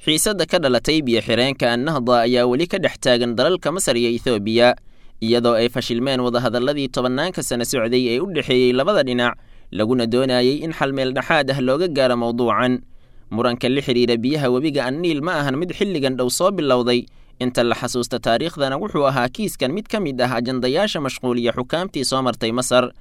Xiisadda ka dhalatay biyo-xireenka Annahda ayaa weli ka dhex taagan dalalka Masar iyo Ethoobiya, iyadoo ay fashilmeen wadahadalladii tobannaanka sano socday ee u dhexeeyey labada dhinac, laguna doonayey in xal meel dhexaad ah looga gaaro mowduucan. Muranka la xidhiira biyaha webiga Anniil ma ahan mid xilligan dhow soo bilowday. Inta la xasuusta taariikhdana wuxuu ahaa kiiskan mid ka mid ah ajandayaasha mashquuliya xukaamtii soo martay Masar,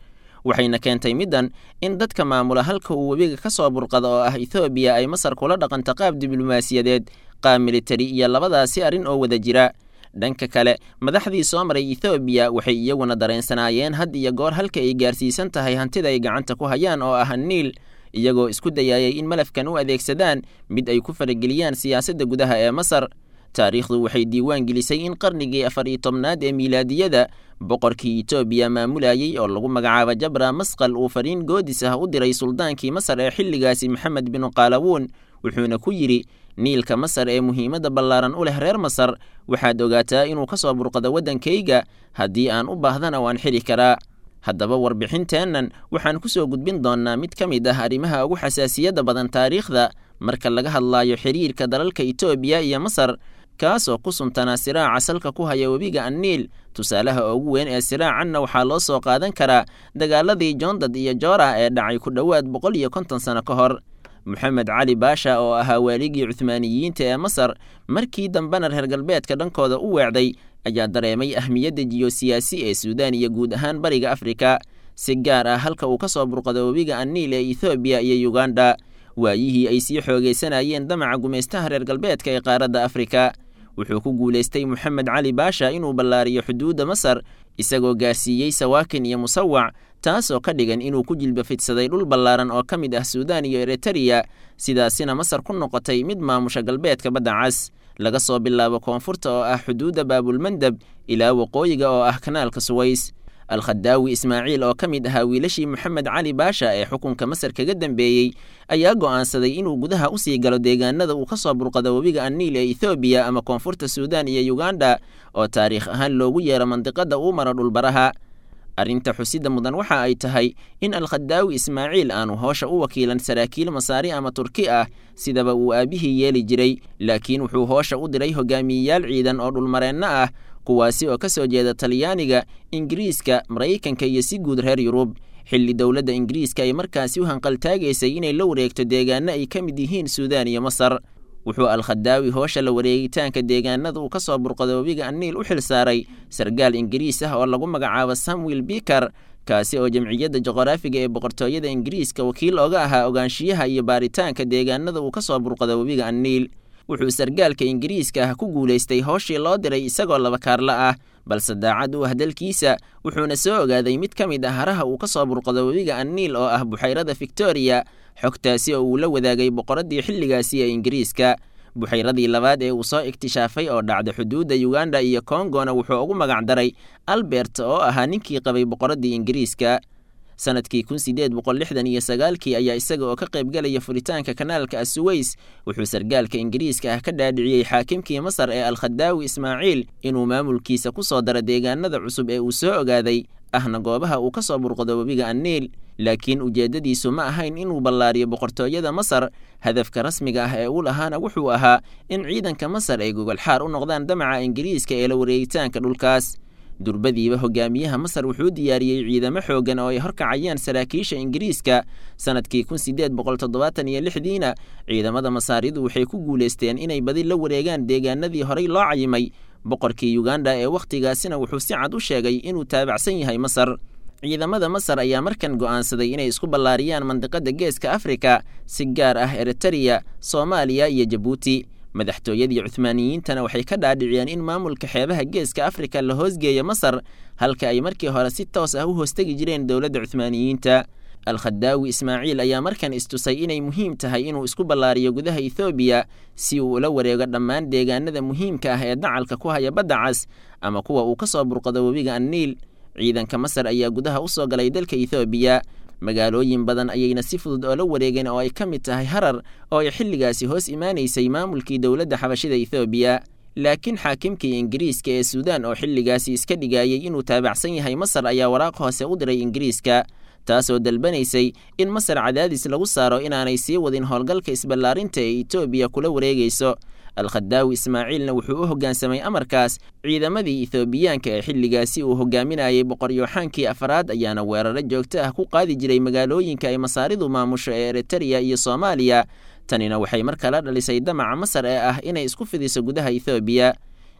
waxayna keentay middan in dadka maamula halka uu webiga ka soo burqada oo ah Ethoobiya ay Masar kula dhaqanto qaab diblomaasiyadeed, qaab militari iyo labadaasi arrin oo wada jira. Dhanka kale, madaxdii soo maray Ethoobiya waxay iyaguna dareensanaayeen had iyo goor halka ay gaarsiisan tahay hantida ay gacanta ku hayaan oo ah Niil, iyagoo isku dayayay in malafkan u adeegsadaan mid ay ku farageliyaan siyaasadda gudaha ee Masar. Taariikhdu waxay diiwaan gelisay in qarnigii 14aad ee miilaadiyada boqorkii Etoobiya maamulayey oo lagu magacaabo Jabra Masqal uu fariin goodis ah u diray suldaankii Masar ee xilligaasi, Maxamed binu Qaalawuun, wuxuuna ku yidhi: Niilka Masar ee muhiimadda ballaaran u leh reer Masar, waxaad ogaataa inuu ka soo burqado waddankayga, haddii aan u baahdana waan xidhi karaa. Haddaba warbixinteennan waxaan ku soo gudbin doonnaa mid ka mid ah arrimaha ugu xasaasiyadda badan taariikhda marka laga hadlaayo xiriirka dalalka Etoobiya iyo Masar, kaasoo ku suntanaa siraaca salka ku haya webiga Anniil. Tusaalaha ugu weyn ee siraacanna waxaa loo soo qaadan karaa dagaaladii Joondad iyo Joora ee dhacay ku dhowaad 150 sano ka hor. Moxamed Cali Baasha oo ahaa waaligii Cuhmaaniyiinta ee Masar, markii dambena reer galbeedka dhankooda u weecday, ayaa dareemay ahmiyadda jiyosiyaasi ee Suudaan iyo guud ahaan Bariga Afrika, si gaar ah halka uu ka soo burqado webiga Anniil ee Ethoobiya iyo Yuganda, waayihii ay sii xoogaysanayeen damaca gumaystaha reer galbeedka ee qaaradda Afrika. Wuxuu ku guulaystay Moxamed Cali Baasha inuu ballaariyo xuduudda Masar, isagoo gaarsiiyey Sawaakin iyo Musawac, taasoo ka dhigan inuu ku jilba fidsaday dhul ballaaran oo ka mid ah Suudaan iyo Eritariya, sidaasina Masar ku noqotay mid maamusha galbeedka Badda Cas, laga soo bilaabo koonfurta oo ah xuduudda Baabulmandab ilaa waqooyiga oo ah kanaalka Suways. Alkhadaawi Ismaaciil oo ka mid ahaa wiilashii Moxamed Cali Baasha ee xukunka Masar kaga dambeeyey ayaa go'aansaday inuu gudaha usii galo deegaanada uu ka soo burqado webiga Anniil ee Ethoobiya ama koonfurta Suudaan iyo Yuganda, oo taariikh ahaan loogu yeero mandiqada uu maro dhulbaraha. Arrinta xusidda mudan waxa ay tahay in Alkhadaawi Ismaaciil aanu hoosha u wakiilan saraakiil Masaari ama Turki ah sidaba uu aabbihii yeeli jiray, laakiin wuxuu hoosha u diray hogaamiyeyaal ciidan oo dhulmareenno ah, kuwaasi oo ka soo jeeda Talyaaniga, Ingiriiska, Maraykanka iyo si guud reer Yurub, xilli dowladda Ingiriiska ay markaasi u hanqaltaagaysay inay la wareegto deegaano ay ka mid yihiin Suudaan iyo Masar. Wuxuu Alkhadaawi hoosha la wareegitaanka deegaanada uu ka soo burqado webiga Anniil u xil saaray sargaal Ingiriis ah oo lagu magacaabo Samuel Biker, kaasi oo jamciyadda juqraafiga ee boqortooyada Ingiriiska wakiil oga ahaa ogaanshiyaha iyo baaritaanka deegaanada uu ka soo burqado webiga Anniil. Wuxuu sargaalka Ingiriiska ah ku guulaystay hooshii loo diray isagoo laba kaarla ah, balse daacad u ah dalkiisa, wuxuuna soo ogaaday mid ka mid ah haraha uu ka soo burqado webiga Anniil oo ah buxayrada Victoria, xogtaasi oo uu la wadaagay boqoraddii xilligaasi ee Ingiriiska. Buxayradii labaad ee uu soo iktishaafay oo dhacda xuduudda Yuganda iyo Kongona wuxuu ugu magac daray Albert oo ahaa ninkii qabay boqoraddii Ingiriiska. Sanadkii 1869kii ayaa isaga oo ka qaybgalaya furitaanka kanaalka Asuways wuxuu sargaalka Ingiriiska ah ka dhaadhiciyey xaakimkii Masar ee Alkhadaawi Ismaaciil inuu maamulkiisa ku soo daro deegaanada cusub ee uu soo ogaaday, ahna goobaha uu ka soo burqado webiga Anniil. Laakiin ujeeddadiisu ma ahayn inuu ballaariyo boqortooyada Masar. Hadafka rasmiga ah ee uu lahaana wuxuu ahaa in ciidanka Masar ay gogolxaar u noqdaan damaca Ingiriiska ee la wareegitaanka dhulkaas. Durbadiiba hogaamiyaha Masar wuxuu diyaariyey ciidamo xooggan oo ay horkacayaan saraakiisha Ingiriiska. Sanadkii 1876diina ciidamada Masaaridu waxay ku guulaysteen inay badi la wareegaan deegaanadii horey loo cayimay. Boqorkii Yuganda ee wakhtigaasina wuxuu si cad u sheegay inuu taabacsan yahay Masar. Ciidamada Masar ayaa markan go'aansaday inay isku ballaariyaan mandiqada Geeska Afrika, si gaar ah Eritariya, Soomaaliya iyo Jabuuti. Madaxtooyadii Cuhmaaniyiintana waxay ka dhaadhiciyeen in maamulka xeebaha Geeska Afrika la hoosgeeyo Masar, halka ay markii hore si toos ah u hoostegi jireen dowladda Cuhmaaniyiinta. Alkhadaawi Ismaaciil ayaa markan istusay inay muhiim tahay inuu isku ballaariyo gudaha Ethoobiya si uu ula wareego dhammaan deegaanada muhiimka ah ee dacalka ku haya Badda Cas ama kuwa uu ka soo burqado webiga Anniil. Ciidanka Masar ayaa gudaha u soo galay dalka Ethoobiya, magaalooyin badan ayayna si fudud oola wareegeen oo ay ka mid tahay Harar oo ay xilligaasi hoos imaanaysay maamulkii dowladda xabashida Ethoobiya. Laakiin xaakimkii Ingiriiska ee Suudaan oo xilligaasi iska dhigayay inuu taabacsan yahay Masar ayaa waraaq hoose u diray Ingiriiska, taasoo dalbanaysay in Masar cadaadis lagu saaro inaanay sii wadin howlgalka isballaarinta ee Etoobiya kula wareegayso. Alkhadaawi Ismaaciilna wuxuu u hoggaansamay amarkaas. Ciidamadii Ethoobiyaanka ee xilligaasi uu hogaaminayay Boqor Yooxaankii afraad ayaana weeraro joogto ah ku qaadi jiray magaalooyinka ay Masaaridu maamusho ee Eritreya iyo Soomaaliya. Tanina waxay mar kale dhalisay damaca Masar ee ah inay isku fidiso gudaha Ethoobiya.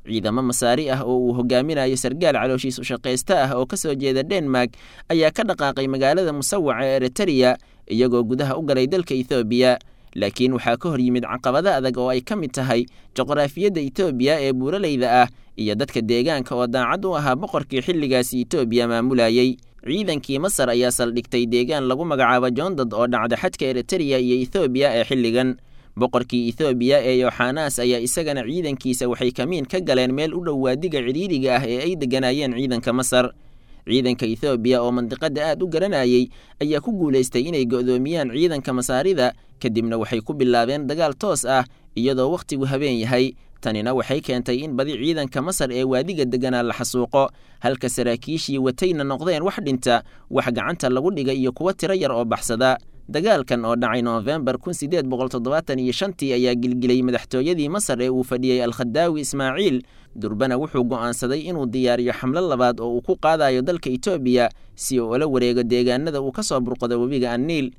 Ciidamo Masaari ah oo uu hogaaminayo sargaal calooshiis u shaqaysta ah oo ka soo jeeda Denmark ayaa ka dhaqaaqay magaalada Musawaca ee Eritreya, iyagoo gudaha u galay dalka Ethoobiya. Laakiin waxaa ka hor yimid caqabado adag oo ay ka mid tahay juqraafiyadda Etoobiya ee buuraleyda ah iyo dadka deegaanka oo daacad u ahaa boqorkii xilligaasi Etoobiya maamulayey. Ciidankii Masar ayaa saldhigtay deegaan lagu magacaabo Joondad oo dhacda xadka Eritreya iyo Ethoobiya ee xilligan. Boqorkii Ethoobiya ee Yoxanas ayaa isagana ciidankiisa waxay kamiin ka galeen meel u dhow waadiga cidhiidhiga ah ee ay degganaayeen ciidanka Masar. Ciidanka Ethoobiya oo mandiqada aad u garanayay ayaa ku guulaystay inay go'doomiyaan ciidanka Masaarida, kadibna waxay ku bilaabeen dagaal toos ah iyadoo wakhtigu habeen yahay. Tanina waxay keentay in badi ciidanka Masar ee waadiga degganaa la xasuuqo, halka saraakiishii watayna noqdeen wax dhinta, wax gacanta lagu dhigay iyo kuwo tiro yar oo baxsada. Dagaalkan oo dhacay Noofembar 1875-tii ayaa gilgilay madaxtooyadii Masar ee uu fadhiyey Alkhadaawi Ismaaciil. Durbana wuxuu go'aansaday inuu diyaariyo xamlo labaad oo uu ku qaadayo dalka Etoobiya si uu ula wareego deegaanada uu ka soo burqado webiga Anniil.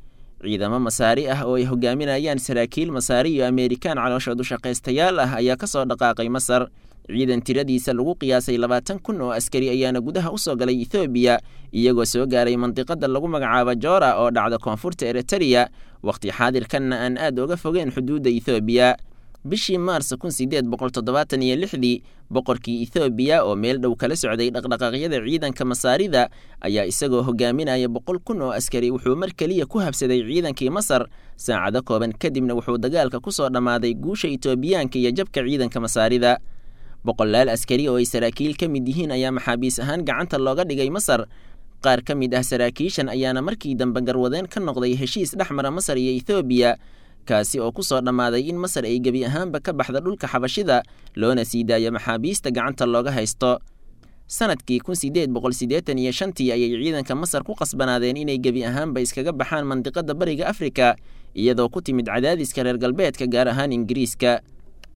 Ciidamo Masaari ah oo ay hogaaminayaan saraakiil Masaari iyo Ameerikaan calooshood u shaqaystayaal ah ayaa ka soo dhaqaaqay Masar. Ciidan tiradiisa lagu qiyaasay 20,000 oo askari ayaana gudaha u soo galay Ethoobiya, iyagoo soo gaaray mandiqada lagu magacaabo Joora oo dhacda koonfurta Eritreya, waqti xaadirkanna aan aad uga fogeen xuduudda Ethoobiya. Bishii Maars 1876-dii, boqorkii Ethoobiya oo meel dhow kala socday dhaqdhaqaaqyada ciidanka Masaarida ayaa isagoo hogaaminaya 100,000 oo askari wuxuu mar keliya ku habsaday ciidankii Masar. Saacado kooban kadibna wuxuu dagaalka ku soo dhammaaday guusha Etoobiyaanka iyo jabka ciidanka Masaarida. Boqolaal askari oo ay saraakiil ka mid yihiin ayaa maxaabiis ahaan gacanta looga dhigay Masar. Qaar ka mid ah saraakiishan ayaana markii dambe garwadeen ka noqday heshiis dhex mara Masar iyo Ethoobiya, kaasi oo ku soo dhammaaday in Masar ay gebi ahaanba ka baxda dhulka Xabashida, loona sii daayo maxaabiista gacanta looga haysto. Sanadkii 1885-tii ayay ciidanka Masar ku qasbanaadeen inay gebi ahaanba iskaga baxaan mandiqada Bariga Afrika, iyadoo ku timid cadaadiska reer galbeedka, gaar ahaan Ingiriiska.